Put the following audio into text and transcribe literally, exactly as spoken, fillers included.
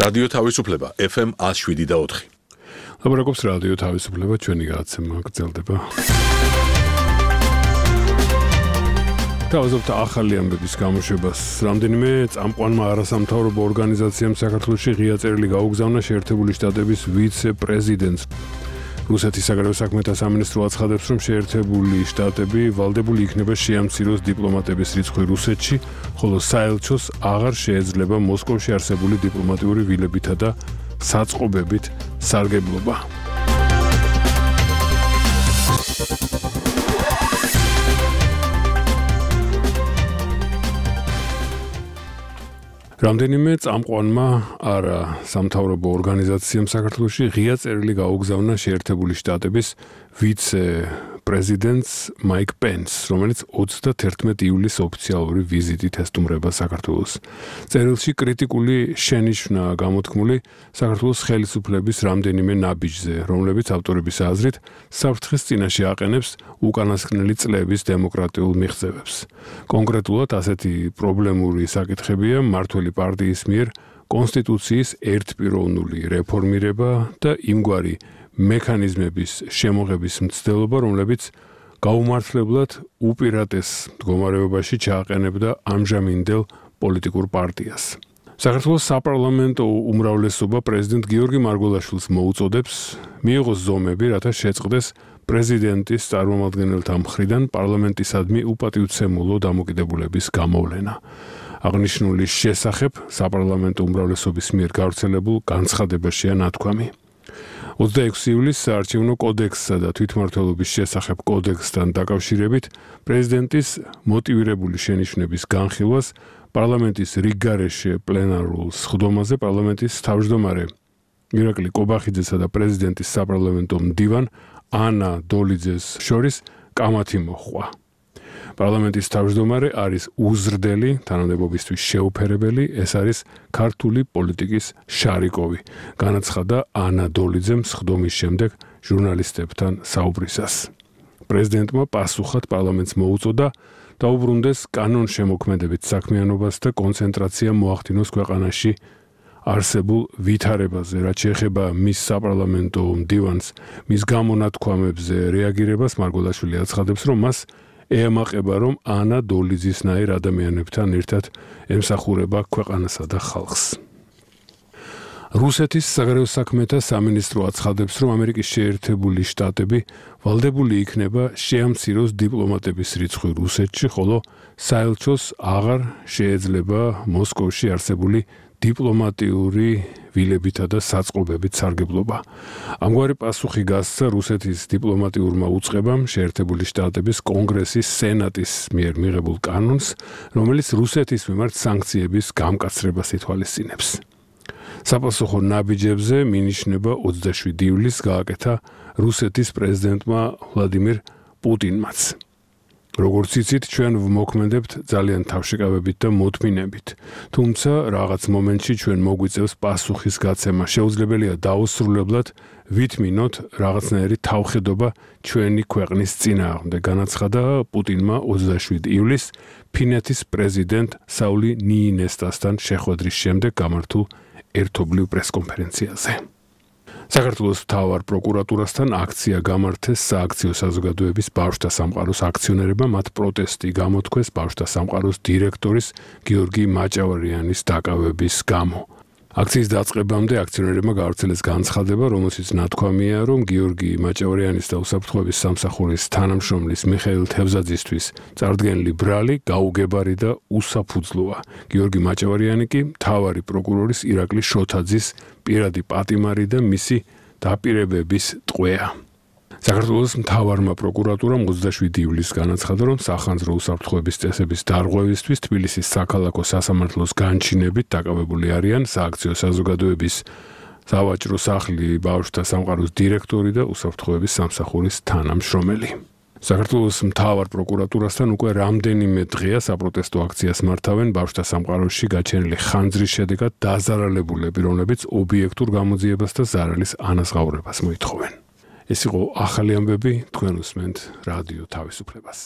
რადიო თავისუფლება F M one oh seven და four. ლაბორატორიის რადიო თავისუფლება ჩვენი გადაცემა გრძელდება. თავზობთ ახალი ამბების გამოშვებას. რამდენიმე წამყვანმა არასამთავრობო ორგანიზაციამ საქართველოში ღია წერილი გაუგზავნა შეერთებული შტატების ვიცე-პრეზიდენტს. რუსეთის საგარეო საქმეთა სამინისტრო აცხადებს, რომ შეერთებული შტატები ვალდებული იქნება შეამციროს დიპლომატების რიცხვი რუსეთში, ხოლო საელჩოს აღარ შეეძლება მოსკოვში არსებული დიპლომატიური ვილებითა და საწყობებით სარგებლობა. რამდენიმე წამყვანმა არა სამთავრობო ორგანიზაციამ საქართველოში ღია წერილი გაუგზავნა შეერთებული შტატების ვიცე-პრეზიდენტს მაიკ პენსს, რომელიც ოცდათერთმეტი ივლისს ოფიციალური ვიზიტით ესტუმრება საქართველოს. წერილში კრიტიკული შენიშვნა გამოთქმული საქართველოს ხელისუფლების რამდენიმე ნაბიჯზე, რომლებიც ავტორების აზრით საფრთხის წინაშე აყენებს უკანასკნელი წლების დემოკრატიულ მიღწევებს. კონკრეტულად ასეთი პრობლემური საკითხებია მმართველი პარტიის მიერ კონსტიტუციის ერთპიროვნული რეფორმირება და იმგვარი მექანიზმების შემოღების მცდელობა, რომლებიც გაუმართლებლად უპირატეს მდგომარეობაში ჩააყენებდა ამჟამინდელ პოლიტიკურ პარტიას. საქართველოს საპარლამენტო უმრავლესობა პრეზიდენტ გიორგი მარგველაშვილს მოუწოდებს მიიღოს ზომები, რათა შეწყდეს პრეზიდენტის წარმომადგენელთა მხრიდან პარლამენტისადმი უპატივცემულო დამოკიდებულების გამოვლენა. აღნიშნული შესახებ საპარლამენტო უმრავლესობის მიერ გავრცელებულ განცხადებაშია ნათქვამი. ოცდაექვსი ივლისს საარჩევნო კოდექსსა და თვითმმართველობის შესახებ კოდექსთან დაკავშირებით პრეზიდენტის მოტივირებული შენიშვნების განხილვას პარლამენტის რიგგარეშე პლენარულ სხდომაზე პარლამენტის თავმჯდომარე ირაკლი კობახიძესა და პრეზიდენტის საპარლამენტო მდივან ანა დოლიძეს შორის კამათი მოჰყვა. პარლამენტის თავმჯდომარე არის უზრდელი, თანამდებობისთვის შეუფერებელი, ეს არის ქართული პოლიტიკის შარიკოვი, განაცხადა ანა დოლიძემ სხდომის შემდეგ ჟურნალისტებთან საუბრისას. პრეზიდენტმა პასუხად პარლამენტს მოუწოდა დაუბრუნდეს კანონშემოქმედებით საქმიანობას და კონცენტრაცია მოახდინოს ქვეყანაში არსებულ ვითარებაზე, რაც შეეხება მის საპარლამენტო მდივანს, მის გამონათქვამებზე რეაგირებას მარგველაშვილი აცხადებს, რომ მას ეამაყება, რომ ანა დოლიძისნაირ ადამიანებთან ერთად ემსახურება ქვეყანასა და ხალხს. რუსეთის საგარეო საქმეთა სამინისტრო აცხადებს, რომ ამერიკის შეერთებული შტატები ვალდებული იქნება შეამციროს დიპლომატების რიცხვი რუსეთში, ხოლო საელჩოს აღარ შეეძლება მოსკოვში არსებული დიპლომატიური ვილებითა და საწყობებით სარგებლობა. ამგვარი პასუხი გასცა რუსეთის დიპლომატიურმა უწყებამ შეერთებული შტატების კონგრესის სენატის მიერ მიღებულ კანონს, რომელიც რუსეთის მიმართ სანქციების გამკაცრებას ითვალისწინებს. საპასუხო ნაბიჯებზე მინიშნება ოცდაშვიდი ივლისს გააკეთა რუსეთის პრეზიდენტმა ვლადიმირ პუტინმაც. როგორც იცით, ჩვენ ვმოქმედებთ ძალიან თავშეკავებით და მოთმინებით. თუმცა რაღაც მომენტში ჩვენ მოგვიწევს პასუხის გაცემა. შეუძლებელია დაუსრულებლად ვითმინოთ რაღაცნაირი თავხედობა ჩვენი ქვეყნის წინააღმდეგ, განაცხადა პუტინმა ოცდაშვიდი ივლისს ფინეთის პრეზიდენტ საული ნიინესტასთან შეხვედრის შემდეგ გამართულ ერთობლივ პრესკონფერენციაზე. საქართველოს მთავარ პროკურატურასთან აქცია გამართეს სააქციო საზოგადოების ბავშვთა სამყაროს აქციონერებმა, მათ პროტესტი გამოთქვეს ბავშვთა სამყაროს დირექტორის გიორგი მაჭავარიანის დაკავების გამო. აქციის დაწყებამდე აქციონერებმა გაავრცელეს განცხადება, რომელშიც ნათქვამია, რომ გიორგი მაჭავარიანის და უსაფრთხოების სამსახურის თანამშრომლის მიხეილ თევზაძისთვის წარდგენილი ბრალი გაუგებარი და უსაფუძვლოა. გიორგი მაჭავარიანი კი მთავარი პროკურორის ირაკლი შოთაძის პირადი პატიმარი და მისი დაპირებების ტყვეა. საქართველოს მთავარმა პროკურატურამ ოცდაშვიდი ივლისს განაცხადა, რომ სახანძრო უსაფრთხოების წესების დარღვევისთვის თბილისის საქალაქო სასამართლოს განჩინებით დაკავებული არიან სააქციო საზოგადოების სავაჭრო სახლი ბავშვთა სამყაროს დირექტორი და უსაფრთხოების სამსახურის თანამშრომელი. საქართველოს მთავარ პროკურატურასთან უკვე რამდენიმე დღეა საპროტესტო აქციას მართავენ ბავშვთა სამყაროში გაჩენილი ხანძრის შედეგად დაზარალებულები, რომლებიც ობიექტურ გამოძიებას და ზარალის ანაზღაურებას მოითხოვენ. ეს იყო ახალი ამბები, თქვენ უსმენთ რადიო თავისუფლებას.